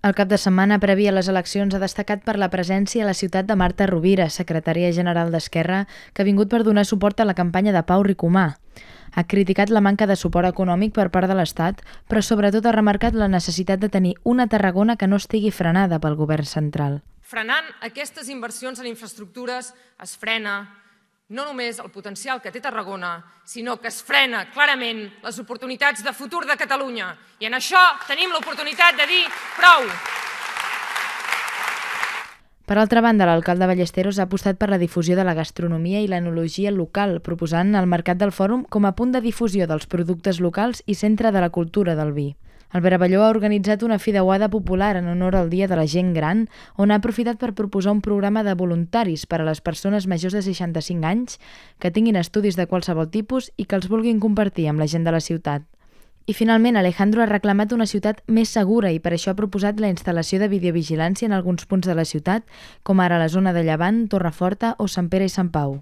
El cap de setmana previ a les eleccions ha destacat per la presència a la ciutat de Marta Rovira, secretària general d'Esquerra, que ha vingut per donar suport a la campanya de Pau Ricomà. Ha criticat la manca de suport econòmic per part de l'Estat, però sobretot ha remarcat la necessitat de tenir una Tarragona que no estigui frenada pel govern central. Frenant aquestes inversions en infraestructures es frena no només el potencial que té Tarragona, sinó que es frena clarament les oportunitats de futur de Catalunya. I en això tenim l'oportunitat de dir prou. Per altra banda, l'alcalde Ballesteros ha apostat per la difusió de la gastronomia i l'enologia local, proposant el Mercat del Fòrum com a punt de difusió dels productes locals i centre de la cultura del vi. El Veraballó ha organitzat una fideuada popular en honor al Dia de la Gent Gran, on ha aprofitat per proposar un programa de voluntaris per a les persones majors de 65 anys que tinguin estudis de qualsevol tipus i que els vulguin compartir amb la gent de la ciutat. I finalment, Alejandro ha reclamat una ciutat més segura i per això ha proposat la instal·lació de videovigilància en alguns punts de la ciutat, com ara la zona de Llevant, Torreforta o Sant Pere i Sant Pau.